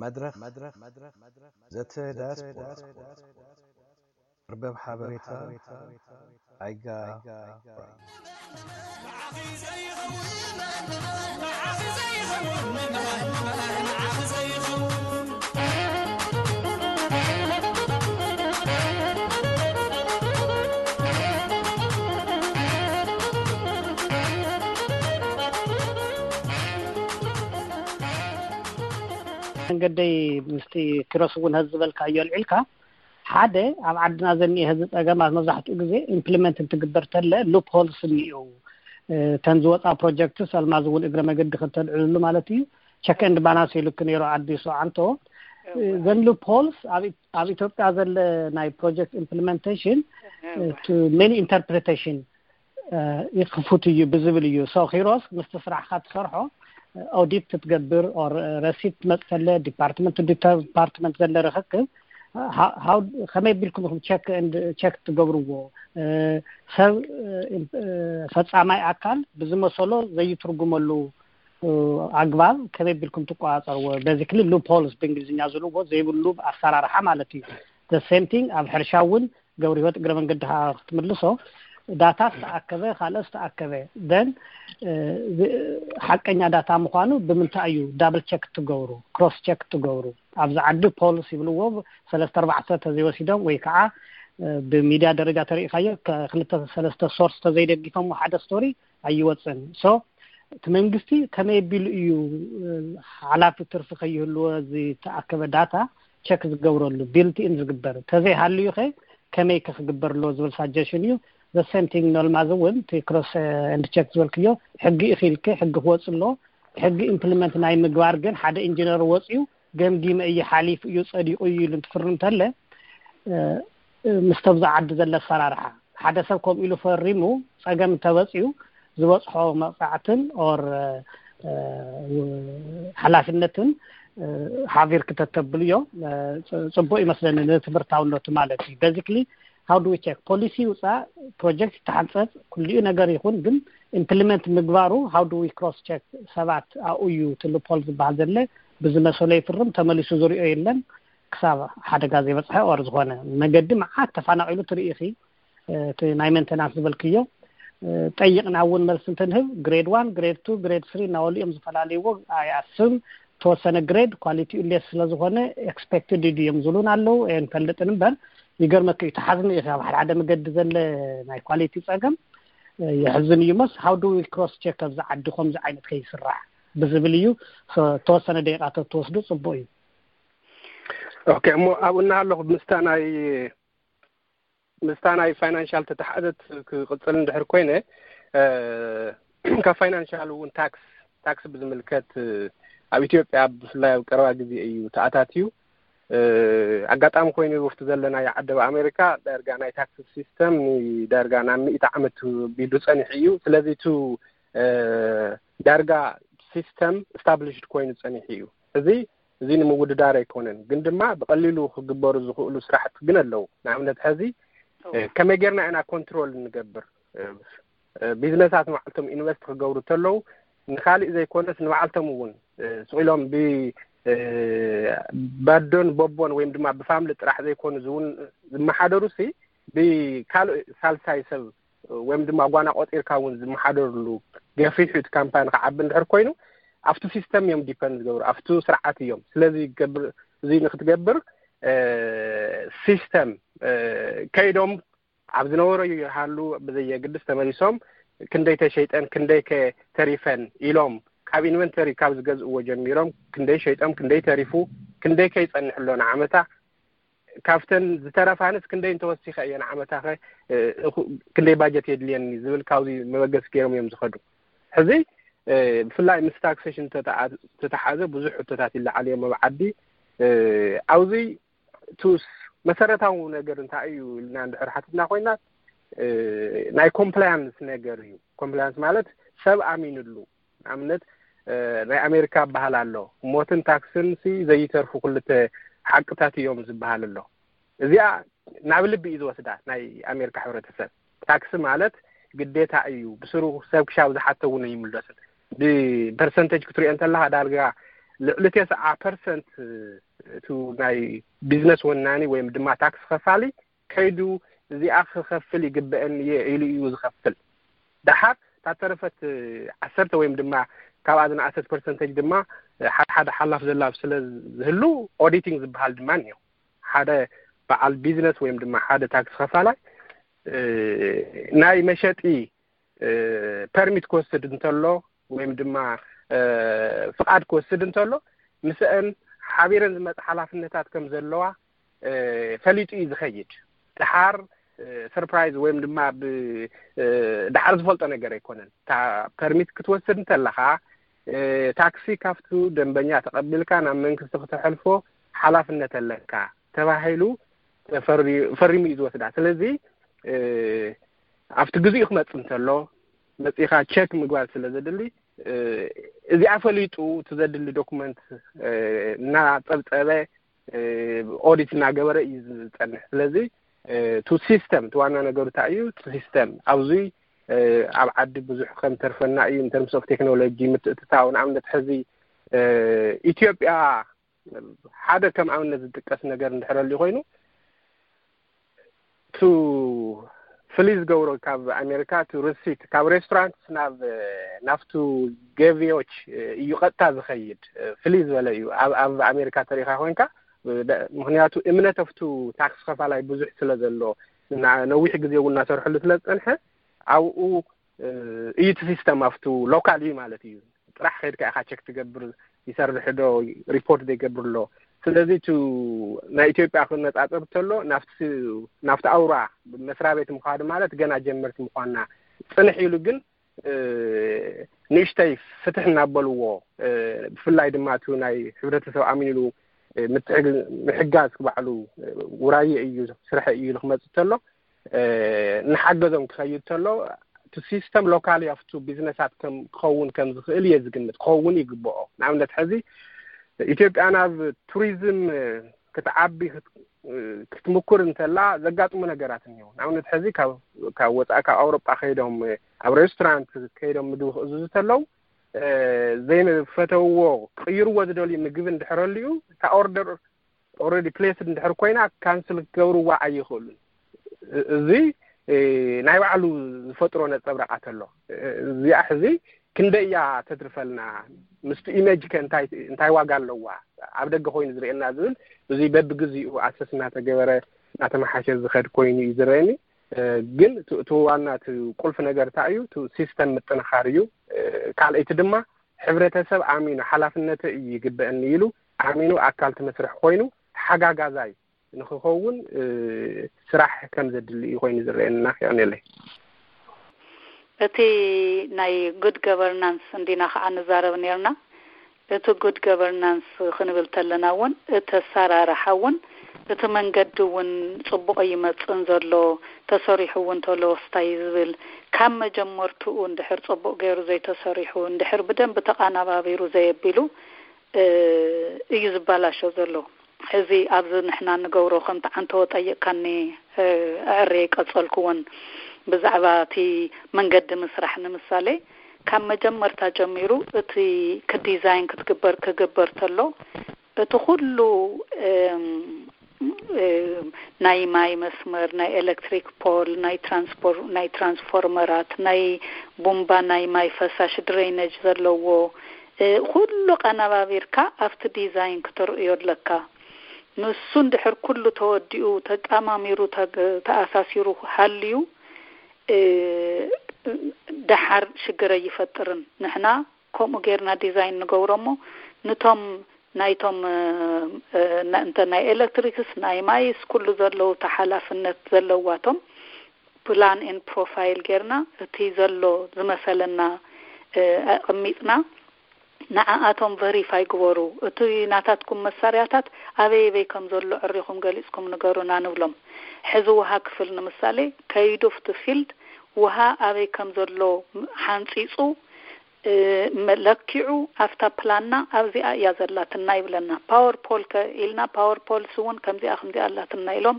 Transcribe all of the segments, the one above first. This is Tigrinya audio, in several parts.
መድረኽ ዘተ ዳያስፖራ፣ መርበብ ሓበሬታ ኣይጋ። መንገደይ ምስቲ ኪሮስ እውን ህዚ ዝበልካዮ ኣልዒልካ፣ ሓደ ኣብ ዓድና ዘኒኤ ህዚ ጸገማት መብዛሕትኡ ግዜ ኢምፕሊመንት እንትግበር ተለ ሉፕ ሆልስ እኒኡ፣ ተን ዝወፃ ፕሮጀክትስ ኣልማዝ እውን እግረ መገዲ ክተልዕልሉ ማለት እዩ። ቸክ ኤንድ ባላንስ ኢሉክ ነይሩ ኣዲሱ ዓንቶ። ዘን ሉፕ ሆልስ ኣብ ኢትዮጵያ ዘለ ናይ ፕሮጀክት ኢምፕሊመንቴሽን ቱ ሜኒ ኢንተርፕሬቴሽን ይክፉት እዩ ብዝብል እዩ። ሶ ኪሮስ ምስቲ ስራሕካ ትሰርሖ ኦዲት ክትገብር ኦር ረሲት ትመጽእ ከለ ዲፓርትመንት ዲፓርትመንት ዘለ ርክክብ ከመይ ቢልኩም ኢኹም ቸክ ቸክ ትገብርዎ? ሰብ ፈጻማይ ኣካል ብዝመሰሎ ዘይትርጉመሉ ኣግባብ ከመይ ቢልኩም ትቆጻጸርዎ? ቤዚክሊ ሉፕ ሆልስ ብእንግሊዝኛ ዝብልዎ ዘይብሉ ኣሰራርሓ ማለት እዩ። ሴም ቲንግ ኣብ ሕርሻ እውን ገብረ ህይወት እግረ መንገዲ ክትምልሶ፣ ዳታ ዝተኣከበ ካልእ ዝተኣከበ ደን ሓቀኛ ዳታ ምዃኑ ብምንታይ እዩ ዳብል ቸክ ትገብሩ፣ ክሮስ ቸክ ትገብሩ? ኣብዚ ዓዲ ፖልስ ይብልዎ ሰለስተ ኣርባዕተ ተዘይወሲዶም ወይ ከዓ ብሚድያ ደረጃ ተሪኢካዮ ክልተ ሰለስተ ሶርስ ተዘይደጊፎም ሓደ ስቶሪ ኣይወፅን። ሶ እቲ መንግስቲ ከመይ ኣቢሉ እዩ ሓላፊ ትርፊ ከይህልዎ ዝተኣከበ ዳታ ቸክ ዝገብረሉ ቢልት ኢን ዝግበር? ተዘይሃልዩ ከ ከመይ ከ ክግበር ኣለዎ ዝብል ሳጀሽን እዩ። ዘ ሴም ቲንግ ኖልማዝ እውን እቲ ክሮስ ኤንድ ቸክ ዝበልክዮ ሕጊ ኢኺልክ ሕጊ ክወፅ ኣሎ። ሕጊ ኢምፕሊመንት ናይ ምግባር ግን ሓደ ኢንጂነር ወፅዩ ገምጊመ እየ ሓሊፉ እዩ ጸዲቑ እዩ ኢሉ እንትፍርም እንተለ ምስ ተብዛ ዓዲ ዘለ ኣሰራርሓ ሓደ ሰብ ከምኡ ኢሉ ፈሪሙ ጸገም እንተበፅዩ ዝበፅሖ መቕፃዕትን ኦር ሓላፍነትን ሓቢር ክተተብልዮ ፅቡቅ ይመስለኒ ንትምህርታውነቱ ማለት እዩ። ቤዚክሊ how do we check ፖሊሲ ይውፃእ ፕሮጀክት ይተሓንፀፅ ኩልኡ ነገር ይኹን ግን ኢምፕሊመንት ምግባሩ how do we cross check ሰባት ኣብኡ እዩ ትልፖል ዝበሃል ዘለ ብዝመሰሎ ይፍርም ተመሊሱ ዝሪኦ የለን። ክሳብ ሓደጋ ዘይበፅሐ ኦር ዝኾነ መገዲ መዓት ተፋናቂሉ ትርኢ ኢኺ። እቲ ናይ ሜንተናንስ ዝበልክዮ ጠይቕና እውን መልሲ እንትንህብ ግሬድ ዋን ግሬድ ቱ ግሬድ ስሪ እናበሉ እዮም ዝፈላለይዎ። ኣይኣስብም ተወሰነ ግሬድ ኳሊቲኡ ሌስ ስለዝኾነ ኤክስፔክትድ እዩ እዮም ዝብሉን ኣለዉ። ንፈልጥን እምበር ይገርመክ እዩ ተሓዝኒ እዩ ካብ ሓደ ሓደ መገዲ ዘለ ናይ ኳሊቲ ፀገም የሕዝን እዩ። መስ how do we cross check ኣብዚ ዓዲ ከምዚ ዓይነት ከይስራሕ ብዝብል እዩ። ተወሰነ ደቂቃ ተትወስዱ ፅቡቅ እዩ። ኦኬ እሞ ኣብኡ እናሃለኹ ምስታ ናይ ምስታ ናይ ፋይናንሻል ተተሓዘት ክቕፅል እንድሕር ኮይነ ካብ ፋይናንሻል እውን ታክስ ታክስ ብዝምልከት ኣብ ኢትዮጵያ ብፍላይ ኣብ ቀረባ ግዜ እዩ ተኣታትዩ። ኣጋጣሚ ኮይኑ ውፍቲ ዘለናዮ ዓዲ ኣብ ኣሜሪካ ዳርጋ ናይ ታክስ ሲስተም ዳርጋ ናብ ሚእቲ ዓመት ቢሉ ፀኒሑ እዩ። ስለዚ እቲ ዳርጋ ሲስተም ስታብሊሽድ ኮይኑ ፀኒሑ እዩ። እዚ እዚ ንምውድዳር ኣይኮነን፣ ግን ድማ ብቐሊሉ ክግበሩ ዝኽእሉ ስራሕቲ ግን ኣለዉ። ንኣብነት ሕዚ ከመይ ጌርና ኢና ኮንትሮል እንገብር? ቢዝነሳት ንባዕልቶም ኢንቨስት ክገብሩ ተለዉ ንካሊእ ዘይኮነስ ንባዕልቶም እውን ስቕ ኢሎም ብባዶን ቦቦን ወይም ድማ ብፋምሊ ጥራሕ ዘይኮኑ ዝውን ዝመሓደሩ ሲ ብካልእ ሳልሳይ ሰብ ወይም ድማ ጓና ቆፂርካ እውን ዝመሓደርሉ ገፊሑ እቲ ካምፓኒ ክዓቢ እንድሕር ኮይኑ ኣብቲ ሲስተም እዮም ዲፐንድ ዝገብሩ ኣብቲ ስርዓት እዮም። ስለዚ ገብር እዚ ንክትገብር ሲስተም ከይዶም ኣብ ዝነበሮ ይሃሉ ብዘየግድስ ተመሊሶም ክንደይ ተሸይጠን ክንደይ ከ ተሪፈን ኢሎም ካብ ኢንቨንተሪ ካብ ዝገዝእዎ ጀሚሮም ክንደይ ሸይጦም ክንደይ ተሪፉ ክንደይ ከይፀንሕ ኣሎ ንዓመታ ካብተን ዝተረፋንስ ክንደይ እንተወሲኸ እየን ዓመታኸ ክንደይ ባጀት የድልየኒ ዝብል ካብዚ መበገሲ ገይሮም እዮም ዝኸዱ። ሕዚ ብፍላይ ምስ ታክሴሽን ተተሓዘ ብዙሕ ሕቶታት ይለዓል እዮም ኣብ ዓዲ። ኣብዚ ቱስ መሰረታዊ ነገር እንታይ እዩ ኢልና እንድሕር ሓቲትና ኮይና ናይ ኮምፕላያንስ ነገር እዩ። ኮምፕላያንስ ማለት ሰብ ኣሚንሉ ንኣብነት ናይ ኣሜሪካ በሃል ኣሎ ሞትን ታክስን ሲ ዘይተርፉ ክልተ ሓቅታት እዮም ዝበሃል ኣሎ። እዚኣ ናብ ልቢ እዩ ዝወስዳ ናይ ኣሜሪካ ሕብረተሰብ። ታክሲ ማለት ግዴታ እዩ፣ ብስሩ ሰብ ክሻብ ዝሓቶ እውን ኣይምለስን። ብፐርሰንተጅ ክትሪኦ እንተለካ ዳርጋ ልዕሊ ተስዓ ፐርሰንት እቱ ናይ ቢዝነስ ወናኒ ወይም ድማ ታክስ ከፋሊ ከይዱ እዚኣ ክኸፍል ይግበአኒ እየ ኢሉ እዩ ዝኸፍል። ደሓር እታ ተረፈት ዓሰርተ ወይም ድማ ካብኣ ዝነኣሰት ፐርሰንተጅ ድማ ሓደ ሓደ ሓላፍ ዘላብ ስለ ዝህሉ ኦዲቲንግ ዝበሃል ድማ እኒኦ። ሓደ በዓል ቢዝነስ ወይም ድማ ሓደ ታክስ ከፋላይ ናይ መሸጢ ፐርሚት ክወስድ እንተሎ ወይም ድማ ፍቓድ ክወስድ እንተሎ ምስአን ሓቢረን ዝመፅ ሓላፍነታት ከም ዘለዋ ፈሊጡ እዩ ዝኸይድ። ደሓር ሰርፕራይዝ ወይም ድማ ደሓር ዝፈልጦ ነገር ኣይኮነን። እታ ፐርሚት ክትወስድ እንተለኻ ታክሲ ካብቱ ደንበኛ ተቐቢልካ ናብ መንግስቲ ክተሕልፎ ሓላፍነት ኣለካ ተባሂሉ ፈሪሙ እዩ ዝወስዳ። ስለዚ ኣብቲ ግዜኡ ክመፅእ እንተሎ መፂኻ ቸክ ምግባር ስለ ዘድሊ እዚኣ ፈሊጡ እቲ ዘድሊ ዶኩመንት እናፀብፀበ ኦዲት እናገበረ እዩ ዝፀንሕ። ስለዚ እቲ ሲስተም እቲ ዋና ነገሩ እንታይ እዩ? እቲ ሲስተም ኣብዚ ኣብ ዓዲ ብዙሕ ከም ተርፈና እዩ። ኢንተርምስ ኦፍ ቴክኖሎጂ ምትእትታው ንኣብነት ሕዚ ኢትዮጵያ ሓደ ከም ኣብነት ዝጥቀስ ነገር እንድሕረሉ ኮይኑ ቱ ፍሊ ዝገብሮ ካብ ኣሜሪካ ቱ ርሲት ካብ ሬስቶራንት ናብ ናብቱ ገቢዎች እዩ ቀጥታ ዝኸይድ። ፍሊ ዝበለ እዩ ኣብ ኣሜሪካ ተሪካ ኮንካ ምክንያቱ እምነት ኣብቱ ታክስ ከፋላይ ብዙሕ ስለ ዘሎ ነዊሕ ግዜ እውን እናሰርሕሉ ስለ ዝፀንሐ ኣብኡ እዩ እቲ ሲስተም ኣብቱ ሎካል እዩ ማለት እዩ። ጥራሕ ከይድካ ኢኻ ቸክ ትገብር ይሰርሕ ዶ ሪፖርት ዘይገብር ኣሎ። ስለዚ ቱ ናይ ኢትዮጵያ ክነፃፀር እንተሎ ናብቲ ኣውራ መስሪያ ቤት ምኳዱ ማለት ገና ጀመርቲ ምኳንና ፅንሕ ኢሉ ግን ንእሽተይ ፍትሕ እናበልዎ ብፍላይ ድማ ቱ ናይ ሕብረተሰብ ኣሚንሉ ምሕጋዝ ክባዕሉ ውራየ እዩ ስርሐ እዩ ኢሉ ክመፅእ ተሎ ንሓገዞም ክኸይድ ተሎ እቲ ሲስተም ሎካሊ ኣብቱ ቢዝነሳት ክኸውን ከም ዝኽእል እየ ዝግምት። ክኸውን ይግብኦ። ንኣብነት ሕዚ ኢትዮጵያ ናብ ቱሪዝም ክትዓቢ ክትምኩር እንተላ ዘጋጥሙ ነገራት እኒው። ንኣብነት ሕዚ ካብ ወፃኢ ካብ ኣውሮጳ ከይዶም ኣብ ሬስቶራንት ከይዶም ምግቢ ክእዝዙ ተለው ዘይፈተውዎ ክቅይርዎ ዝደልዩ ምግቢ እንድሕረልዩ እታ ኦርደር ኦረዲ ፕሌስድ እንድሕር ኮይና ካንስል ክገብርዋ ኣይኽእሉን። እዚ ናይ ባዕሉ ዝፈጥሮ ነፀብራቃት ኣሎ። እዚኣ ሕዚ ክንደይ እያ ተትርፈልና? ምስቲ ኢሜጅ ከ እንታይ ዋጋ ኣለዋ? ኣብ ደገ ኮይኑ ዝርእየና ዝብል እዚ በብግዚኡ ኣሰስ እናተገበረ እናተመሓሸ ዝኸድ ኮይኑ እዩ ዝረአኒ። ግን እቲ ዋና እቲ ቁልፊ ነገር እንታይ እዩ? እቲ ሲስተም ምጥንኻር እዩ። ካልኣይቲ ድማ ሕብረተሰብ ኣሚኑ ሓላፍነተ እዩ ይግበአኒ ኢሉ ኣሚኑ ኣካል እቲ መስርሕ ኮይኑ ተሓጋጋዛይ ንክኸውን ስራሕ ከም ዘድሊ እዩ ኮይኑ ዝረአየና። የቀንየለይ። እቲ ናይ ጉድ ገቨርናንስ እንዲና ከዓ ንዛረብ ነርና። እቲ ጉድ ገቨርናንስ ክንብል ተለና እውን እቲ ኣሰራርሓ እውን እቲ መንገዲ እውን ፅቡቕ ይመፅን ዘሎ ተሰሪሑ እውን ተሎ ወስታይ ዝብል ካብ መጀመርትኡ እንድሕር ፅቡቕ ገይሩ ዘይተሰሪሑ እንድሕር ብደንብ ተቃናባቢሩ ዘየቢሉ እዩ ዝበላሾ ዘሎ። ሕዚ ኣብዚ ንሕና ንገብሮ ከምቲ ዓንተወ ጠይቕካኒ ኣዕሬ ቀጸልኩዎን ብዛዕባ እቲ መንገዲ ምስራሕ ንምሳሌ ካብ መጀመርታ ጀሚሩ እቲ ክዲዛይን ክትግበር ክግበር ተሎ እቲ ኩሉ ናይ ማይ መስመር፣ ናይ ኤሌክትሪክ ፖል፣ ናይ ትራንስፖር ናይ ትራንስፎርመራት፣ ናይ ቡምባ ናይ ማይ ፈሳሽ ድሬነጅ ዘለዎ ኩሉ ቀነባቢርካ ኣብቲ ዲዛይን ክተርእዮ ኣለካ። ንሱ እንድሕር ኩሉ ተወዲኡ ተጣማሚሩ ተኣሳሲሩ ሃልዩ ደሓር ሽግር ኣይፈጥርን። ንሕና ከምኡ ጌርና ዲዛይን ንገብሮ እሞ ንቶም ናይቶም እንተ ናይ ኤሌክትሪክስ ናይ ማይስ ኩሉ ዘለዉ ተሓላፍነት ዘለዋቶም ፕላን ኤን ፕሮፋይል ጌርና እቲ ዘሎ ዝመሰለና ኣቕሚጥና ንዓኣቶም ቨሪፋይ ግበሩ። እቲ ናታትኩም መሳርያታት ኣበይ ኣበይ ከም ዘሎ ዕሪኹም ገሊጽኩም ንገሩና ንብሎም። ሕዚ ውሃ ክፍል ንምሳሌ ከይዱ ኣብቲ ፊልድ ውሃ ኣበይ ከም ዘሎ ሓንጺጹ ለኪዑ ኣብታ ፕላንና ኣብዚኣ እያ ዘላትና ይብለና። ፓወር ፖል ከ ኢልና ፓወር ፖልስ እውን ከምዚኣ ከምዚኣ ኣላትና ኢሎም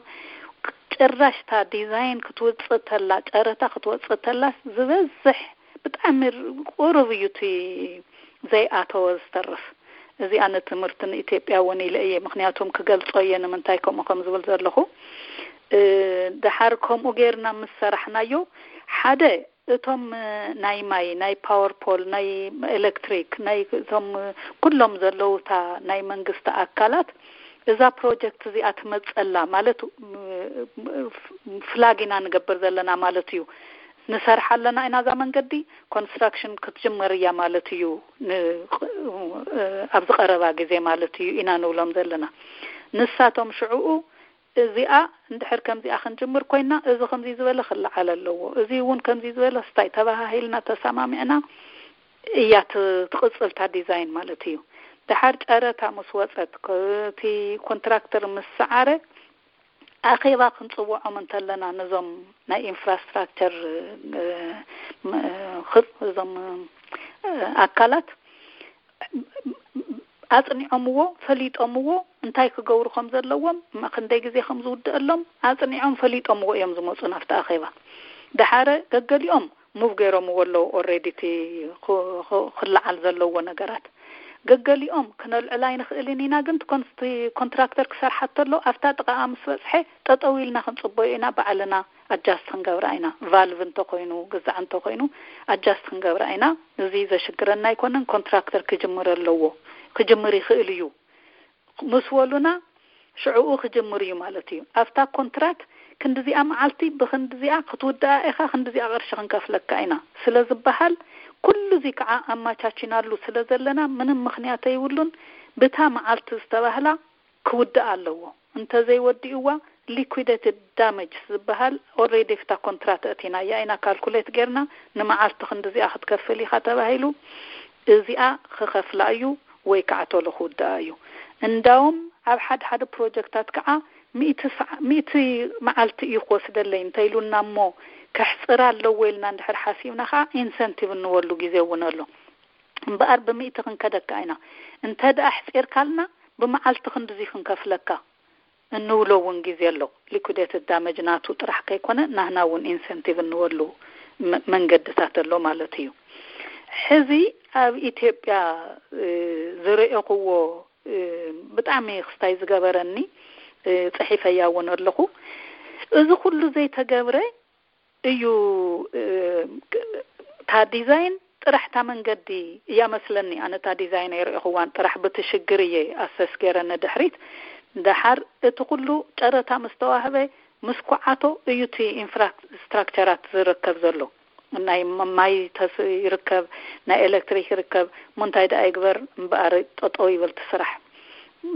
ጭራሽ እታ ዲዛይን ክትውፅእ ተላ ጨረታ ክትወፅእ ተላስ ዝበዝሕ ብጣዕሚ ቁሩብ እዩ እቲ ዘይኣተወ ዝተርፍ። እዚኣ ንትምህርቲ ንኢትዮጵያ እውን ኢለ እየ፣ ምክንያቱም ክገልጾ እየ ንምንታይ ከምኡ ከም ዝብል ዘለኹ። እ፣ ደሓር ከምኡ ጌርና ምስ ሰራሕናዮ፣ ሓደ እቶም፣ እ፣ ናይ ማይ፣ ናይ ፓወር ፖል፣ ናይ ኤሌክትሪክ፣ ናይ እቶም፣ እ፣ ኩሎም ዘለዉ እታ ናይ መንግስቲ ኣካላት እዛ ፕሮጀክት እዚኣ ትመጸላ ማለት፣ እ፣ ፍላግ ኢና ንገብር ዘለና ማለት እዩ። ንሰርሓ ኣለና ኢና እዛ መንገዲ፣ ኮንስትራክሽን ክትጅመር እያ ማለት እዩ፣ ን-፣ እ፣ ኣብዚ ቀረባ ግዜ ማለት እዩ ኢና ንብሎም ዘለና። ንሳቶም ሽዕኡ እዚኣ እንድሕር ከምዚኣ ክንጅምር ኮይና፣ እዚ ከምዚ ዝበለ ክለዓል ኣለዎ፣ እዚ እውን ከምዚ ዝበለ ስታይ ተባሃሂልና ተሰማሚዕና እያ ት-፣ ትቕጽል እታ ዲዛይን ማለት እዩ። ደሓር ጨረታ ምስ ወጸት፣ ክ-፣ እቲ ኮንትራክተር ምስ ሰዓረ፣ ኣኼባ ክንጽውዖም እንተለና ነዞም ናይ ኢንፍራስትራክቸር፣ እ፣ ም-፣ እ፣ እዞም፣ እ፣ ኣካላት ኣጽኒዖምዎ፣ ፈሊጦምዎ፣ እንታይ ክገብሩ ከም ዘለዎም፣ ም-፣ ክንደይ ግዜ ከም ዝውድአሎም ኣጽኒዖም ፈሊጦምዎ እዮም ዝመጹ ናብቲ ኣኼባ። ደሓረ ገገሊኦም ሙቭ ገይሮምዎ ኣለዉ፣ ኦልሬዲ እቲ ክ-፣ ክ-፣ ክለዓል ዘለዎ ነገራት። ገገሊኦም ክነልዕል ኣይንኽእልን ኢና፣ ግን እቲ ኮንስ-፣ እቲ ኮንትራክተር ክሰርሓ ተሎ ኣብታ ጥቓኣ ምስ በጽሐ ጠጠው ኢልና ክንጽበዮ ኢና፣ ባዕልና ኣጃስት ክንገብራ ኢና። ቫልቭ እንተኾይኑ፣ ግዛዕ እንተኾይኑ ኣጃስት ክንገብራ ኢና። እዚ ዘሽግረና ኣይኮነን፣ ኮንትራክተር ክጅምር ኣለዎ፣ ክጅምር ይኽእል እዩ ምስ በሉና፣ ሽዕኡ ክጅምር እዩ ማለት እዩ። ኣብታ ኮንትራት ክንዲዚኣ መዓልቲ ብክንዲዚኣ ክትውድኣ ኢኻ፣ ክንዲዚኣ ቅርሺ ክንከፍለካ ኢና ስለ ዝበሃል፣ ኩሉ እዚ ከዓ ኣማቻቺናሉ ስለ ዘለና፣ ምንም ምኽንያት ኣይብሉን። ብታ መዓልቲ ዝተባህላ ክውድኣ ኣለዎ። እንተዘይወዲእዋ፣ ሊኩዊዴትድ ዳሜጅ ዝበሃል፣ ኦልሬዲ ኣብታ ኮንትራት ኣእቲናያ ኢና፣ ካልኩሌት ጌርና፣ ንመዓልቲ ክንዲዚኣ ክትከፍል ኢኻ ተባሂሉ፣ እዚኣ ክኸፍላ እዩ ወይ ከዓ ቶሎ ክውድኣ እዩ። እንዳውም ኣብ ሓደ ሓደ ፕሮጀክታት ከዓ ሚእቲ ሰዓ-፣ ሚእቲ መዓልቲ እዩ ክወስደለይ እንተኢሉና እሞ፣ ከሕፅር ኣለዎ ኢልና እንድሕር ሓሲብና ከዓ ኢንሰንቲቭ እንበሉ ግዜ እውን ኣሎ። እምበኣር ብሚእቲ ክንከደካ ኢና። እንተ ደኣ ኣሕፂርካልና፣ ብመዓልቲ ክንድዚ ክንከፍለካ እንብሎ እውን ግዜ ኣሎ። ሊኩዴትድ ዳመጅ ናቱ ጥራሕ ከይኮነ፣ ናህና እውን ኢንሰንቲቭ እንበሉ መ-፣ መንገድታት ኣሎ ማለት እዩ። ሕዚ ኣብ ኢትዮጵያ፣ እ፣ ዝረኤኹዎ፣ እ፣ ብጣዕሚ ክስታይ ዝገበረኒ፣ እ፣ ጽሒፈያ እውን ኣለኹ። እዚ ኩሉ ዘይተገብረ እዩ፣ እ፣ እታ ዲዛይን ጥራሕ እታ መንገዲ እያ መስለኒ። ኣነ እታ ዲዛይን ኣይረኤኹዋን፣ ጥራሕ ብቲ ሽግር እየ ኣሰስ ገይረ ንድሕሪት። ደሓር እቲ ኩሉ ጨረታ ምስ ተዋህበ፣ ምስ ኩዓቶ እዩ እቲ ኢንፍራስትራክቸራት ዝርከብ ዘሎ። ናይ ም-፣ ማይ ተስ-፣ ይርከብ፣ ናይ ኤሌክትሪክ ይርከብ። እሞ እንታይ ደኣ ይግበር እምበኣር፣ ጠጠው ይበል እቲ ስራሕ።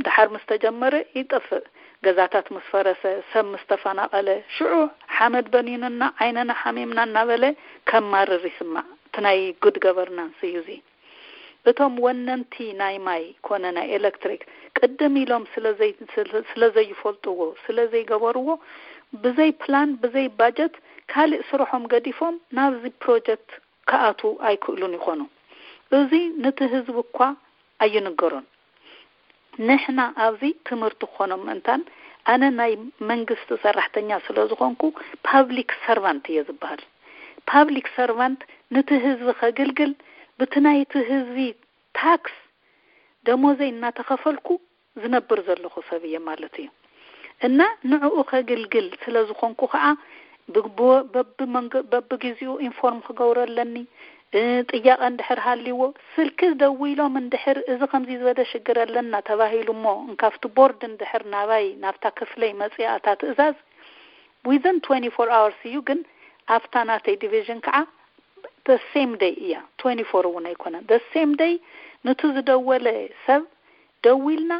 ደሓር ምስ ተጀመረ ይጠፍእ። ገዛታት ምስ ፈረሰ፣ ሰብ ምስ ተፈናቐለ፣ ሽዑ ሓመድ በኒኑና፣ ዓይንና ሓሚምና እናበለ ከማርር ይስማዕ። እቲ ናይ ጉድ ገቨርናንስ እዩ እዚ። እቶም ወነንቲ ናይ ማይ ኮነ ናይ ኤሌክትሪክ ቅድም ኢሎም ስለ ዘይ-፣ ስለ፣ ስለ ዘይፈልጥዎ፣ ስለ ዘይገበርዎ፣ ብዘይ ፕላን፣ ብዘይ ባጀት፣ ካልእ ስርሖም ገዲፎም ናብዚ ፕሮጀክት ክኣትዉ ኣይክእሉን ይኾኑ። እዚ ነቲ ህዝቢ እኳ ኣይንገሮን። ንሕና ኣብዚ ትምህርቲ ክኾኖም ምእንታን፣ ኣነ ናይ መንግስቲ ሰራሕተኛ ስለ ዝኾንኩ ፓብሊክ ሰርቫንት እየ ዝበሃል። ፓብሊክ ሰርቫንት ነቲ ህዝቢ ከግልግል፣ ብቲ ናይቲ ህዝቢ ታክስ ደሞዘይ እናተኸፈልኩ ዝነብር ዘለኹ ሰብ እየ ማለት እዩ። እና ንዕኡ ከግልግል ስለ ዝኾንኩ ከዓ፣ ብግቡ-፣ በብመንገ-፣ በብግዜኡ ኢንፎርም ክገብሮ ኣለኒ። እ፣ ጥያቐ እንድሕር ሃልይዎ፣ ስልኪ ደዊሎም እንድሕር፣ "እዚ ከምዚ ዝበለ ሽግር ኣለና" ተባሂሉ እሞ፣ እንካብቲ ቦርድ እንድሕር ናባይ፣ ናብታ ክፍለይ መጽኣ እታ ትእዛዝ፣ ዊዝን ትዌንቲ ፎር ኣወርስ እዩ። ግን ኣብታ ናተይ ዲቪዥን ከዓ the same day እያ፣ ትዌንቲ ፎር እውን ኣይኮነን፣ the same day። ነቲ ዝደወለ ሰብ ደዊልና፣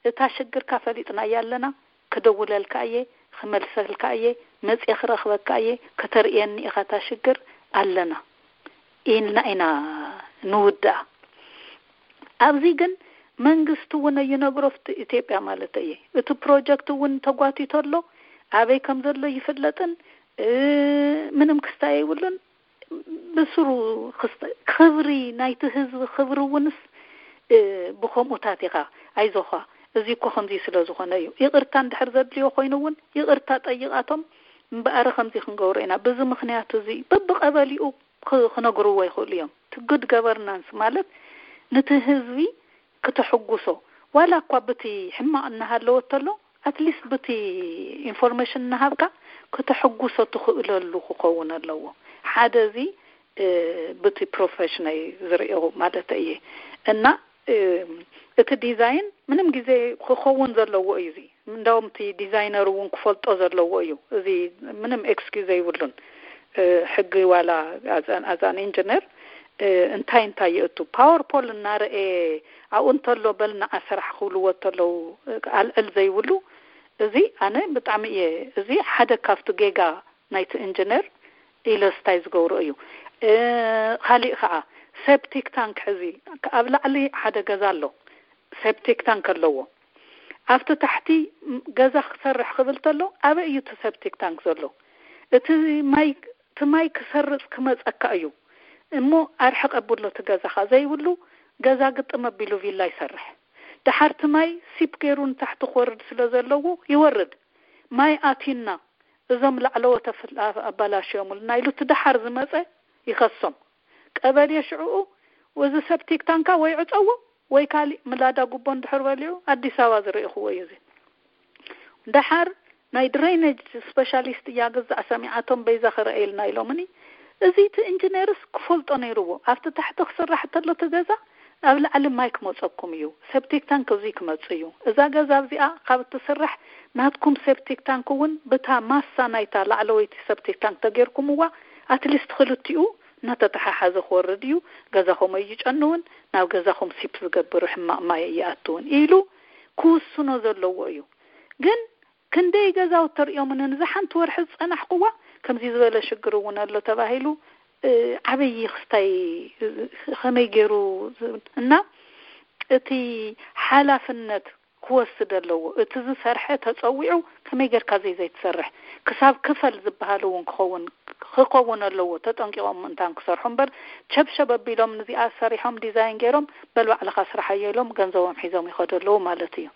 "እታ ሽግርካ ፈሊጥናያ ኣለና፣ ክደውለልካ እየ፣ ክመልሰልካ እየ፣ መጽየ ክረኽበካ እየ፣ ከተርእየኒ ኢኻ እታ ሽግር፣ ኣለና" ኢልና ኢና ንውድኣ። ኣብዚ ግን መንግስቲ እውን ኣይነግሮ፣ ኣብቲ ኢትዮጵያ ማለት እየ። እቲ ፕሮጀክት እውን ተጓቲቶ ኣሎ፣ ኣበይ ከም ዘሎ ይፍለጥን፣ እ፣ ምንም ክስታይ የብሉን። ብስሩ ክስተ-፣ ክብሪ ናይቲ ህዝቢ ክብሪ እውንስ፣ እ፣ ብኸምኡታት ኢኻ። ኣይዞኻ፣ እዚ እኮ ከምዚ ስለ ዝኾነ እዩ። ይቕርታ እንድሕር ዘድልዮ ኮይኑ እውን ይቕርታ ጠይቓቶም፣ እምበኣር ከምዚ ክንገብሮ ኢና፣ በዚ ምኽንያት እዚ በብቐበሊኡ ክ-፣ ክነግርዎ ይኽእሉ እዮም። እቲ ጉድ ገቨርናንስ ማለት ነቲ ህዝቢ ክተሕጉሶ፣ ዋላ እኳ ብቲ ሕማቕ እናሃለወ ተሎ፣ ኣትሊስት ብቲ ኢንፎርሜሽን እናሃብካ ክተሕጉሶ ትኽእለሉ ክኸውን ኣለዎ። ሓደ እዚ ብቲ ፕሮፌሽነይ ዝርእዮ ማለት እየ። እና እቲ ዲዛይን ምንም ግዜ ክኸውን ዘለዎ እዩ። እዚ እንዳውም እቲ ዲዛይነር እውን ክፈልጦ ዘለዎ እዩ። እዚ ምንም ኤክስኪዝ ዘይብሉን። ሕጊ ዋላ ኣዛን ኢንጂነር እንታይ እንታይ የእቱ፣ ፓወርፖል እናረኤ ኣብኡ እንተሎ በል ንዓ ስራሕ ክብልዎ እንተለዉ ኣልዕል ዘይብሉ፣ እዚ ኣነ ብጣዕሚ እየ፣ እዚ ሓደ ካብቲ ጌጋ ናይቲ ኢንጂነር ኢለ ስታይ ዝገብሮ እዩ። ካሊእ ከዓ ሴፕቲክ ታንክ፣ ሕዚ ኣብ ላዕሊ ሓደ ገዛ ኣሎ፣ ሴፕቲክ ታንክ ኣለዎ። ኣብቲ ታሕቲ ገዛ ክሰርሕ ክብል ተሎ ኣበይ እዩ እቲ ሴፕቲክ ታንክ ዘሎ? እቲ ማይ እቲ ማይ ክሰርጽ ክመጸካ እዩ እሞ ኣርሕቕ ኣብሎ እቲ ገዛኻ ዘይብሉ ገዛ ግጥም ኣቢሉ ቪላ ይሰርሕ። ደሓር እቲ ማይ ሲፕ ገይሩ ንታሕቲ ክወርድ ስለ ዘለዎ ይወርድ። ማይ ኣትዩና እዞም ላዕለዎት ኣባላሽዮምልና ኢሉ እቲ ደሓር ዝመጸ ይኸሶም። ቀበሌ ሽዕኡ እዚ ሰፕቲክ ታንካ ወይ ዕጸዎ ወይ ካሊእ ምላዳ ጉቦ እንድሕር በሊዑ ኣዲስ ኣበባ ዝረእኽዎ እዩ። እዚ ደሓር ናይ ድሬነጅ ስፔሻሊስት እያ ግዛዕ ሰሚዓቶም በይዛ ክረእየልና ኢሎምኒ። እዚ እቲ ኢንጂነርስ ክፈልጦ ነይርዎ። ኣብቲ ታሕቲ ክስራሕ ተሎ እቲ ገዛ ኣብ ላዕሊ ማይ ክመፀኩም እዩ። ሰፕቲክ ታንክ እዚ ክመፅ እዩ። እዛ ገዛ እዚኣ ካብ እትስራሕ ናትኩም ሰፕቲክ ታንክ እውን ብታ ማሳ ናይታ ላዕለወይቲ ሰፕቲክ ታንክ ተገይርኩምዋ ኣትሊስት ክልቲኡ እናተተሓሓዘ ክወርድ እዩ። ገዛኹም ኣይጨንውን፣ ናብ ገዛኹም ሲፕ ዝገብር ሕማቕ ማይ ኣይኣትውን ኢሉ ክውስኖ ዘለዎ እዩ። ግን ክንደይ ገዛውቲ ተርእዮምን ንዛ ሓንቲ ወርሒ ዝጸናሕኩዋ ከምዚ ዝበለ ሽግር እውን ኣሎ ተባሂሉ ዓብዪ ክስታይ ከመይ ገይሩ እና እቲ ሓላፍነት ክወስድ ኣለዎ። እቲ ዝሰርሐ ተጸዊዑ ከመይ ጌርካ ዘይ ዘይትሰርሕ ክሳብ ክፈል ዝበሃል እውን ክኸውን ክኸውን ኣለዎ። ተጠንቂቖም ምእንታን ክሰርሑ እምበር ቸብሸብ ኣቢሎም ንዚኣ ሰሪሖም ዲዛይን ገይሮም በል ባዕልኻ ስራሓዮ ኢሎም ገንዘቦም ሒዞም ይኸዱ ኣለዉ ማለት እዩ።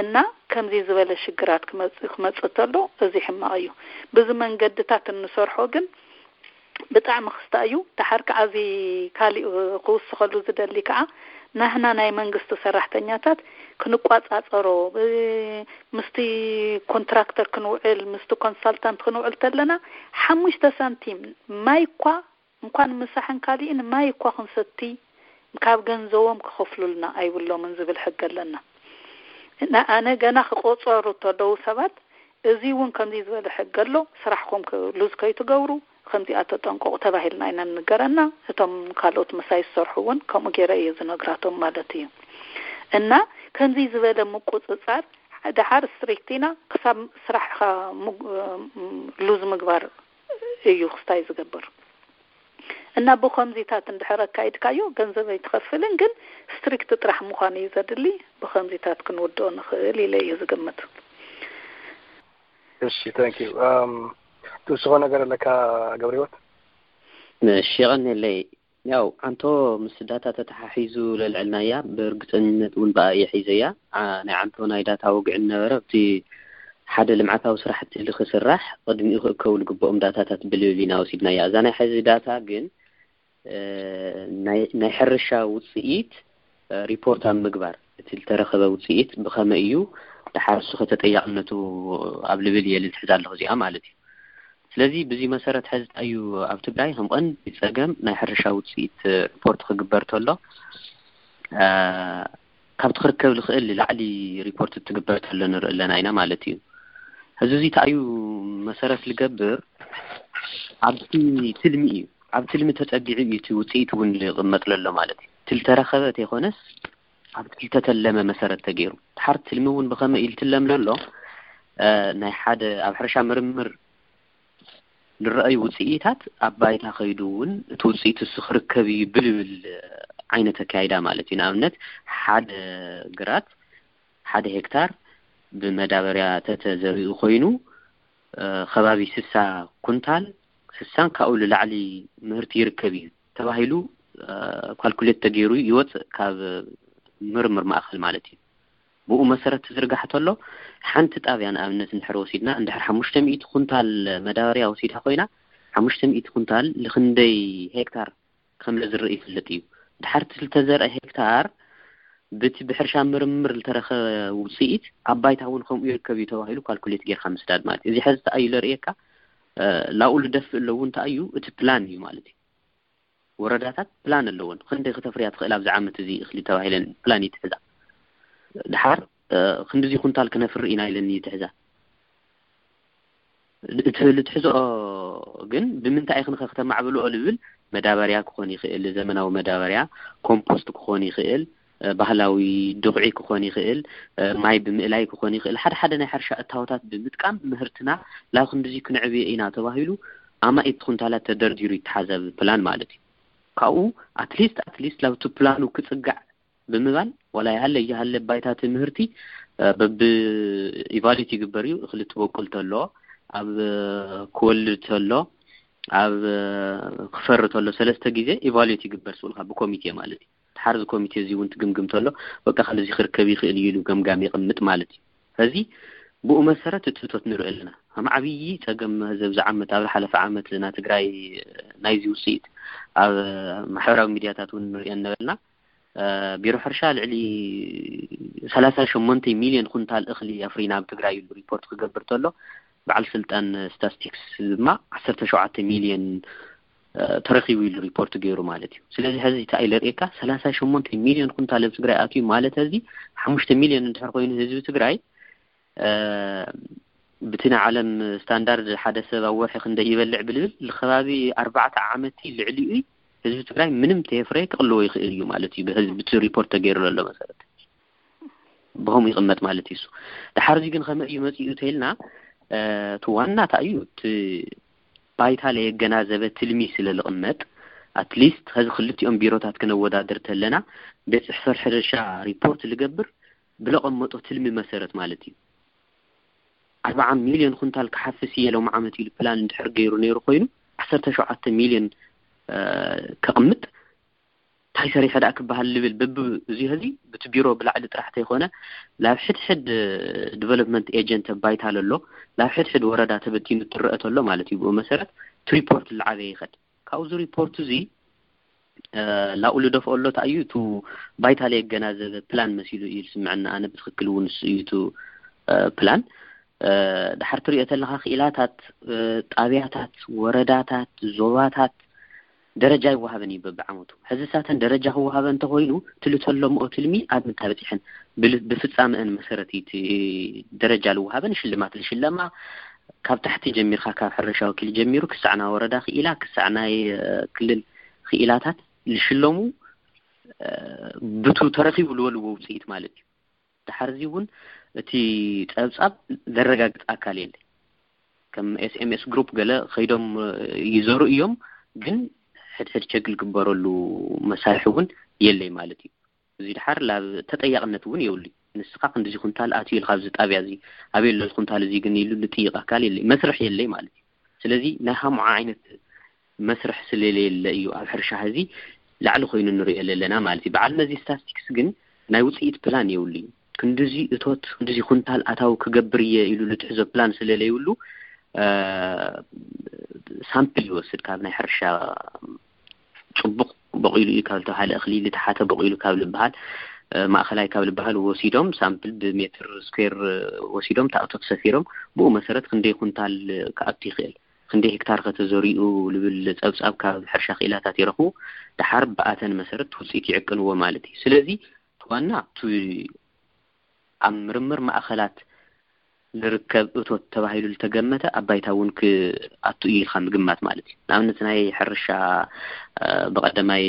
እና ከምዚ ዝበለ ሽግራት ክመጽእ ክመጽእ ተሎ እዚ ሕማቕ እዩ። ብዚ መንገድታት እንሰርሖ ግን ብጣዕሚ ክስታ እዩ። ደሓር ከዓ እዚ ካሊእ ክውስኸሉ ዝደሊ ከዓ ናህና ናይ መንግስቲ ሰራሕተኛታት ክንቋጻጸሮ ምስቲ ኮንትራክተር ክንውዕል ምስቲ ኮንሳልታንት ክንውዕል ተለና ሓሙሽተ ሳንቲም ማይ እኳ እንኳን ምሳሕን ካሊእን ማይ እኳ ክንሰቲ ካብ ገንዘቦም ክኸፍሉልና ኣይብሎምን ዝብል ሕጊ ኣለና። ኣነ ገና ክቆጸሩ ተለዉ ሰባት እዚ እውን ከምዚ ዝበለ ሕጊ ኣሎ፣ ስራሕኩም ሉዝ ከይትገብሩ ከምዚኣ ተጠንቀቑ ተባሂልና ኢና ንገረና። እቶም ካልኦት ምሳይ ዝሰርሑ እውን ከምኡ ገይረ እየ ዝነግራቶም ማለት እዩ። እና ከምዚ ዝበለ ምቁፅፃር ደሓር ስትሪክት ኢና ክሳብ ስራሕካ ሉዝ ምግባር እዩ ክስታይ ዝገብር። እና ብኸምዚታት እንድሕር ኣካይድካዮ ገንዘብ ኣይትኸፍልን፣ ግን ስትሪክት ጥራሕ ምዃን እዩ ዘድሊ። ብኸምዚታት ክንውድኦ ንኽእል ኢለ እየ ዝግምት። እሺ፣ ታንክ ዩ። ትውስኾ ነገር ኣለካ ገብረ ህይወት? እሺ፣ የቐንየለይ። ያው ኣንቶ ምስ ዳታ ተተሓሒዙ ለልዕልናያ ብእርግፀኝነት እውን ብኣ እየ ሒዘያ። ናይ ኣንቶ ናይ ዳታ ወግዒ ነበረ ኣብቲ ሓደ ልምዓታዊ ስራሕቲ ልክስራሕ ቅድሚኡ ክእከቡ ልግብኦም ዳታታት ብልብል ኢና ወሲድናያ። እዛ ናይ ሕዚ ዳታ ግን ናይ ሕርሻ ውፅኢት ሪፖርት ኣብ ምግባር እቲ ዝተረኸበ ውፅኢት ብኸመይ እዩ ድሓር እሱ ከተጠያቕነቱ ኣብ ልብል እየ ልትሕዝ ኣለኹ እዚኣ ማለት እዩ። ስለዚ ብዚ መሰረት ሕዚ እንታይ እዩ ኣብ ትግራይ ከም ቀንዲ ፀገም ናይ ሕርሻ ውፅኢት ሪፖርት ክግበር ተሎ ካብቲ ክርከብ ዝኽእል ንላዕሊ ሪፖርት ትግበር ተሎ ንርኢ ኣለና ኢና ማለት እዩ። ሕዚ እዚ እንታይ እዩ መሰረት ዝገብር ኣብቲ ትልሚ እዩ። ኣብ ትልሚ ተፀጊዑ እዩ እቲ ውፅኢት እውን ዝቕመጥ ዘሎ ማለት እዩ። እቲ ዝተረኸበ ተይኮነስ ኣብቲ ዝተተለመ መሰረት ተገይሩ ድሓር ትልሚ እውን ብኸመይ እዩ ዝትለም ዘሎ ናይ ሓደ ኣብ ሕርሻ ምርምር ንረኣዩ ውፅኢታት ኣብ ባይታ ከይዱ እውን እቲ ውፅኢት እሱ ክርከብ እዩ ብልብል ዓይነት ኣካይዳ ማለት እዩ። ንኣብነት ሓደ ግራት ሓደ ሄክታር ብመዳበርያ ተተዘሪኡ ኮይኑ ከባቢ ስሳ ኩንታል ስሳን ካብኡ ንላዕሊ ምህርቲ ይርከብ እዩ ተባሂሉ ካልኩሌት ተገይሩ ይወፅእ ካብ ምርምር ማእኸል ማለት እዩ። ብኡ መሰረት ትዝርጋሕ ተሎ ሓንቲ ጣብያ ንኣብነት እንድሕር ወሲድና እንድሕር ሓሙሽተ ሚእቲ ኩንታል መዳበርያ ወሲዳ ኮይና ሓሙሽተ ሚእቲ ኩንታል ንክንደይ ሄክታር ከም ዝርኢ ይፍለጥ እዩ። ድሓር እቲ ዝተዘርአ ሄክታር ብቲ ብሕርሻ ምርምር ዝተረኸበ ውፅኢት ኣብ ባይታ እውን ከምኡ ይርከብ እዩ ተባሂሉ ካልኩሌት ጌርካ ምስዳድ ማለት እዩ። እዚ ሕዚ ተኣዩ ለርእየካ ላኡ ልደፍእ ኣለዉ እንተኣዩ እቲ ፕላን እዩ ማለት እዩ። ወረዳታት ፕላን ኣለወን። ክንደይ ክተፍርያ ትኽእል ኣብዚ ዓመት እዚ እኽሊ ተባሂለን ፕላን ይትሕዛ። ድሓር ክንዲዚ ኩንታል ክነፍሪ ኢና ኢለን ይትሕዛ። እቲ ልትሕዝኦ ግን ብምንታይ ኢኽንኸ ክተማዕብልኦ ልብል መዳበርያ ክኾን ይኽእል፣ ዘመናዊ መዳበርያ ኮምፖስት ክኾን ይኽእል፣ ባህላዊ ድኹዒ ክኾን ይኽእል፣ ማይ ብምእላይ ክኾን ይኽእል። ሓደ ሓደ ናይ ሕርሻ እታወታት ብምጥቃም ምህርትና ላብ ክንዲዚ ክንዕብዮ ኢና ተባሂሉ ኣማኢት ኩንታላት ተደርዲሩ ይተሓዘብ ፕላን ማለት እዩ። ካብኡ ኣትሊስት ኣትሊስት ላብቲ ፕላኑ ክፅጋዕ ብምባል ዋላ ይሃለ ይሃለ ባይታ ትምህርቲ በብ ኢቫሉዌት ይግበር እዩ። እኽሊ ትበቁል ተሎ፣ ኣብ ክወልድ ተሎ፣ ኣብ ክፈሪ ተሎ ሰለስተ ግዜ ኢቫሉዌት ይግበር ስብልካ ብኮሚቴ ማለት እዩ። ድሓር እዚ ኮሚቴ እዚ እውን ትግምግም ተሎ በቃ ከምዚ ክርከብ ይኽእል እዩ ኢሉ ገምጋም የቕምጥ ማለት እዩ። ሕዚ ብኡ መሰረት እቲ እቶት ንርኢ ኣለና። ከም ዓብዪ ፀገም ህዝብ ዝዓመት ኣብ ዝሓለፈ ዓመት ና ትግራይ ናይዚ ውፅኢት ኣብ ማሕበራዊ ሚዲያታት እውን ንሪኦ ነበርና። ቢሮ ሕርሻ ልዕሊ ሰላሳ ሸሞንተ ሚሊዮን ኩንታል እኽሊ ኣፍሪና ኣብ ትግራይ ኢሉ ሪፖርት ክገብር ተሎ በዓል ስልጣን ስታስቲክስ ድማ ዓሰርተ ሸውዓተ ሚሊዮን ተረኪቡ ኢሉ ሪፖርት ገይሩ ማለት እዩ። ስለዚ ሕዚ እንታይ ኢለ ርእየካ ሰላሳ ሸሞንተ ሚሊዮን ኩንታል ኣብ ትግራይ ኣትዩ ማለት ሕዚ ሓሙሽተ ሚሊዮን እንድሕር ኮይኑ ህዝቢ ትግራይ ብቲ ናይ ዓለም ስታንዳርድ ሓደ ሰብ ኣብ ወርሒ ክንደይ ይበልዕ ብልብል ንከባቢ ኣርባዕተ ዓመት ልዕሊኡ ህዝቢ ትግራይ ምንም ተየፍረየ ክቕልዎ ይኽእል እዩ ማለት እዩ። ብህዝቢ እቲ ሪፖርት ተገይሩ ዘሎ መሰረት ብኸምኡ ይቕመጥ ማለት እዩ። እሱ ድሓር እዚ ግን ከመይ እዩ መፂኡ ተይልና እቲ ዋና እንታይ እዩ እቲ ባይታ ለየገናዘበ ትልሚ ስለ ዝቕመጥ ኣትሊስት ኸዚ ክልቲኦም ቢሮታት ክነወዳድር ተለና ቤት ፅሕፈት ሕርሻ ሪፖርት ልገብር ብለቐመጦ ትልሚ መሰረት ማለት እዩ። ኣርባዓ ሚሊዮን ኩንታል ክሓፍስ እየ ሎም ዓመት ኢሉ ፕላን እንድሕር ገይሩ ነይሩ ኮይኑ ዓሰርተ ሸውዓተ ሚሊዮን ከቕምጥ እንታይ ሰሪሐ ደኣ ክበሃል ልብል በብ እዚ ሕዚ ብቲ ቢሮ ብላዕሊ ጥራሕ ተይኮነ ላብ ሕድሕድ ዲቨሎፕመንት ኤጀንት ባይታ ለሎ ላብ ሕድሕድ ወረዳ ተበቲኑ ትረአ ተሎ ማለት እዩ። ብኡ መሰረት እቲ ሪፖርት ልዓበየ ይኸድ ካብዚ ሪፖርት እዚ ላኡ ልደፍኦ ኣሎ እንታይ እዩ እቲ ባይታ ለየገናዘበ ፕላን መሲሉ እዩ ዝስምዐና። ኣነ ብትክክል እውን እሱ እዩ እቲ ፕላን ድሓር ትሪኦ ተለካ ክኢላታት ጣብያታት ወረዳታት ዞባታት ደረጃ ይወሃበን እዩ በብዓመቱ። ሕዚ ሳተን ደረጃ ክወሃበ እንተኮይኑ ትልተሎምኦ ትልሚ ኣብ ምንታይ በፂሐን ብፍፃመአን መሰረት እዩ ደረጃ ልወሃበን ሽልማት ልሽለማ ካብ ታሕቲ ጀሚርካ ካብ ሕርሻ ወኪል ጀሚሩ ክሳዕ ናይ ወረዳ ክኢላ ክሳዕ ናይ ክልል ክኢላታት ልሽለሙ ብቱ ተረኪቡ ልወልዎ ውፅኢት ማለት እዩ። ድሓር እዚ እውን እቲ ፀብፃብ ዘረጋግፅ ኣካል የለ። ከም ኤስኤምኤስ ግሩፕ ገለ ከይዶም ይዘሩ እዮም፣ ግን ሕድሕድ ቸክ ዝግበረሉ መሳርሒ እውን የለይ ማለት እዩ። እዚ ድሓር ላብ ተጠያቕነት እውን የብሉ። ንስኻ ክንዲዚ ኩንታል ኣትዩ ኢልካ ኣብዚ ጣብያ እዚ ኣበይ ኣሎ ኩንታል እዚ ግን ኢሉ ልጥይቕ ኣካል የለይ፣ መስርሕ የለይ ማለት እዩ። ስለዚ ናይ ሃምዓ ዓይነት መስርሕ ስለሌለ እዩ ኣብ ሕርሻ ሕዚ ላዕሊ ኮይኑ ንሪኦ ዘለና ማለት እዩ። በዓል መዚ ስታስቲክስ ግን ናይ ውፅኢት ፕላን የብሉ እዩ። ክንዲዚ እቶት ክንዲዚ ኩንታል ኣታዊ ክገብር እየ ኢሉ ልትሕዞ ፕላን ስለለይብሉ ሳምፕል ይወስድ ካብ ናይ ሕርሻ ፅቡቕ በቂሉ እዩ ካብ ዝተባሃለ እኽሊ ልተሓተ በቂሉ ካብ ልበሃል ማእኸላይ ካብ ልበሃል ወሲዶም ሳምፕል ብሜትር ስኩዌር ወሲዶም ታእቶት ሰፊሮም ብኡ መሰረት ክንደይ ኩንታል ክኣቱ ይኽእል ክንደይ ሄክታር ከተዘሪኡ ልብል ፀብፃብ ካብ ሕርሻ ክኢላታት ይረኽቡ። ድሓር ብኣተን መሰረት ውፅኢት ይዕቅንዎ ማለት እዩ። ስለዚ ዋና እቲ ኣብ ምርምር ማእኸላት ዝርከብ እቶት ተባሂሉ ዝተገመተ ኣብ ባይታ እውን ክኣቱ እዩ ኢልካ ምግማት ማለት እዩ። ንኣብነት ናይ ሕርሻ ብቐደማይ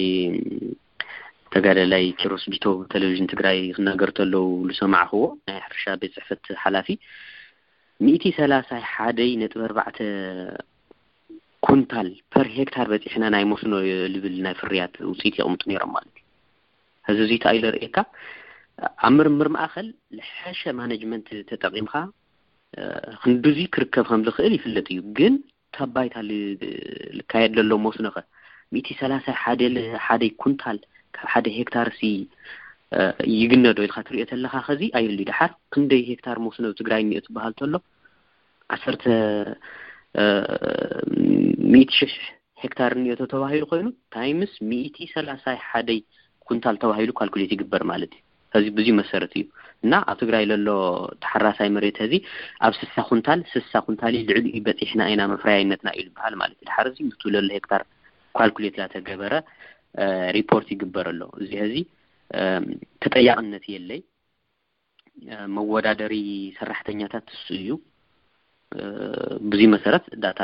ተጋዳላይ ኪሮስ ቢቶ ቴሌቪዥን ትግራይ ክናገር ተለው ዝሰማዕክዎ ናይ ሕርሻ ቤት ፅሕፈት ሓላፊ ሚእቲ ሰላሳ ሓደይ ነጥቢ ኣርባዕተ ኩንታል ፐር ሄክታር በፂሕና ናይ መስኖ ልብል ናይ ፍርያት ውፅኢት የቕምጡ ነይሮም ማለት እዩ። ሕዚ እዚ እንታይ ኢለ ርእየካ ኣብ ምርምር ማእኸል ልሐሸ ማኔጅመንት ተጠቒምካ ክንዱዚ ክርከብ ከም ዝኽእል ይፍለጥ እዩ። ግን ካብ ባይታ ልካየድ ዘሎ መስኖኸ ሚእቲ ሰላሳ ሓደ ሓደ ኩንታል ካብ ሓደ ሄክታር ሲ ይግነዶ ኢልካ ትሪኦ ተለካ ከዚ ኣየሉ ድሓር ክንደይ ሄክታር መስኖ ትግራይ እኒኦ ትበሃል ተሎ ዓሰርተ ሚእቲ ሽሕ ሄክታር እኒኦ ተባሂሉ ኮይኑ ታይምስ ሚእቲ ሰላሳ ሓደ ኩንታል ተባሂሉ ካልኩሌት ይግበር ማለት እዩ። እዚ ብዙ መሰረት እዩ። እና ኣብ ትግራይ ለሎ ተሓራሳይ መሬት እዚ ኣብ ስሳ ኩንታል ስሳ ኩንታል ልዕሊ እዩ በፂሕና ኢና መፍረያይነትና እዩ ዝበሃል ማለት እዩ። ድሓር እዚ ምቱ ለሎ ሄክታር ካልኩሌት ላተገበረ ሪፖርት ይግበር ኣሎ። እዚ ዚ ተጠያቕነት የለይ። መወዳደሪ ሰራሕተኛታት እሱ እዩ። ብዙ መሰረት ዳታ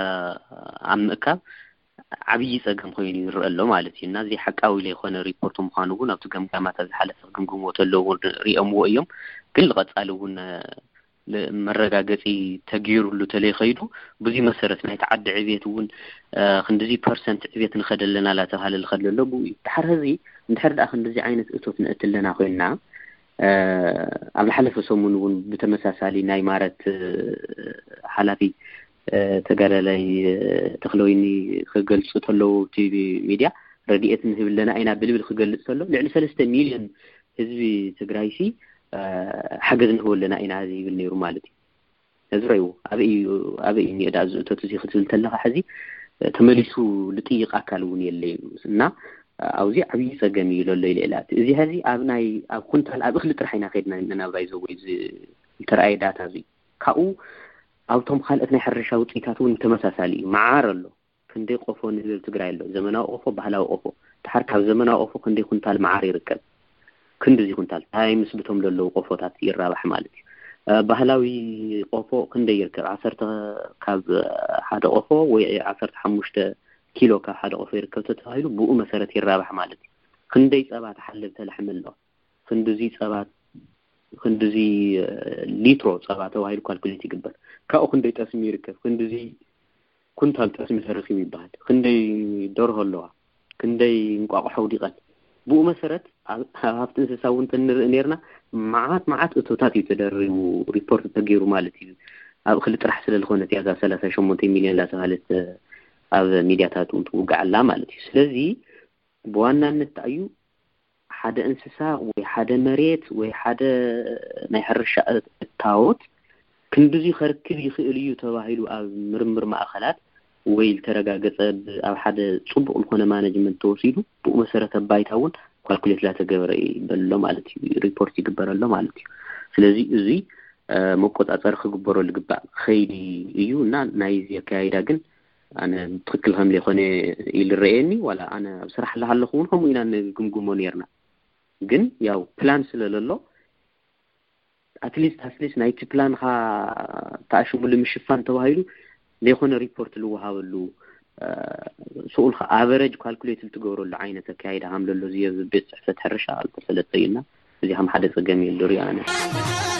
ኣብ ምእካብ ዓብዪ ፀገም ኮይኑ ይረአ ኣሎ ማለት እዩ። እና እዚ ሓቃዊ ዘይኮነ ሪፖርት ምዃኑ እውን ኣብቲ ገምጋማታ ዝሓለፈ ክግምግምዎ ተለዉ እውን ሪኦምዎ እዮም። ግን ልቐፃሊ እውን መረጋገፂ ተገይሩሉ ተለይኸይዱ ብዙ መሰረት ናይቲ ዓዲ ዕቤት እውን ክንዲዚ ፐርሰንት ዕቤት ንኸደለና ላተባሃለ ልኸደሎ ብኡ እዩ። ድሓር ህዚ እንድሕር ደኣ ክንዲዚ ዓይነት እቶት ንእትለና ኮይንና ኣብ ዝሓለፈ ሰሙን እውን ብተመሳሳሊ ናይ ማረት ሓላፊ ተጋዳላይ ተክለወይኒ ክገልፁ ተለዉ እቲ ሚድያ ረድኤት ንህብ ኣለና ኢና ብልብል ክገልፅ ተሎ ልዕሊ ሰለስተ ሚልዮን ህዝቢ ትግራይ ሲ ሓገዝ ንህብ ኣለና ኢና ዝብል ነይሩ ማለት እዩ። እዚ ረይዎ ኣበይ እዩ እኒኦ ዳ ዝእቶት እዚ ክትብል ተለካ ሕዚ ተመሊሱ ልጥይቅ ኣካል እውን የለ እዩ እና ኣብዚ ዓብዪ ፀገም እዩ ለሎ ኢለ ኢላ እዚ ሕዚ ኣብ ናይ ኣብ ኩንታል ኣብ እክሊ ጥራሕ ኢና ከድና ናብራይ ዘወይ ዝተረኣየ ዳታ እዚ ካብኡ ኣብቶም ካልኦት ናይ ሕርሻ ውፅኢታት እውን ተመሳሳሊ እዩ። መዓር ኣሎ ክንደይ ቆፎ ንህዝቢ ትግራይ ኣሎ ዘመናዊ ቆፎ ባህላዊ ቆፎ ድሓር ካብ ዘመናዊ ቆፎ ክንደይ ኩንታል መዓር ይርከብ ክንድዚ ኩንታል ታይ ምስ ብቶም ዘለዉ ቆፎታት ይራባሕ ማለት እዩ። ባህላዊ ቆፎ ክንደይ ይርከብ ዓሰርተ ካብ ሓደ ቆፎ ወይ ዓሰርተ ሓሙሽተ ኪሎ ካብ ሓደ ቆፎ ይርከብ ተተባሂሉ ብኡ መሰረት ይራባሕ ማለት እዩ። ክንደይ ፀባ ተሓልብ ተላሕሚ ኣሎ ክንድዚ ፀባ ክንድዚ ሊትሮ ፀባ ተባሂሉ ካልኩሌት ይግበር። ካብኡ ክንደይ ጠስሚ ይርከብ ክንድዚ ኩንታል ጠስሚ ተረኪቡ ይበሃል። ክንደይ ደርሆ ኣለዋ ክንደይ እንቋቑሖ ውዲቐን ብኡ መሰረት ኣብ ሃብቲ እንስሳ እውን ተንርኢ ነርና። መዓት መዓት እቶታት እዩ ተደሪቡ ሪፖርት ተገይሩ ማለት እዩ። ኣብ እክሊ ጥራሕ ስለ ዝኾነት እያ እዛ ሰላሳ ሸሞንተ ሚልዮን ላተባሃለት ኣብ ሚድያታት እውን ትውጋዕ ኣላ ማለት እዩ። ስለዚ ብዋናነት እዩ ሓደ እንስሳ ወይ ሓደ መሬት ወይ ሓደ ናይ ሕርሻ እታወት ክንድዚ ከርክብ ይኽእል እዩ ተባሂሉ ኣብ ምርምር ማእኸላት ወይ ዝተረጋገፀ ኣብ ሓደ ፅቡቕ ዝኾነ ማነጅመንት ተወሲዱ ብኡ መሰረተ ባይታ እውን ኳልኩሌት ላተገበረ ይበሎ ማለት እዩ ሪፖርት ይግበረሎ ማለት እዩ። ስለዚ እዚ መቆፃፀሪ ክግበሮ ልግባእ ኸይዲ እዩ እና ናይዚ ኣካያይዳ ግን ኣነ ትክክል ከም ዘይኮነ ኢሉ ረኤኒ ዋላ ኣነ ኣብ ስራሕ ኣለሃለኹ እውን ከምኡ ኢና ንግምግሞ ነርና። ግን ያው ፕላን ስለለሎ ኣትሊስት ኣትሊስት ናይቲ ፕላንካ ተኣሽሙ ንምሽፋን ተባሂሉ ዘይኮነ ሪፖርት ልወሃበሉ ስኡልካ ኣቨረጅ ካልኩሌት ልትገብረሉ ዓይነት ኣካያይዳ ከም ለሎ ዝየብ ቤት ፅሕፈት ሕርሻ ኣልተፈለጠ እዩና እዚ ከም ሓደ ፀገም እዩ ልሪኦ ኣነ።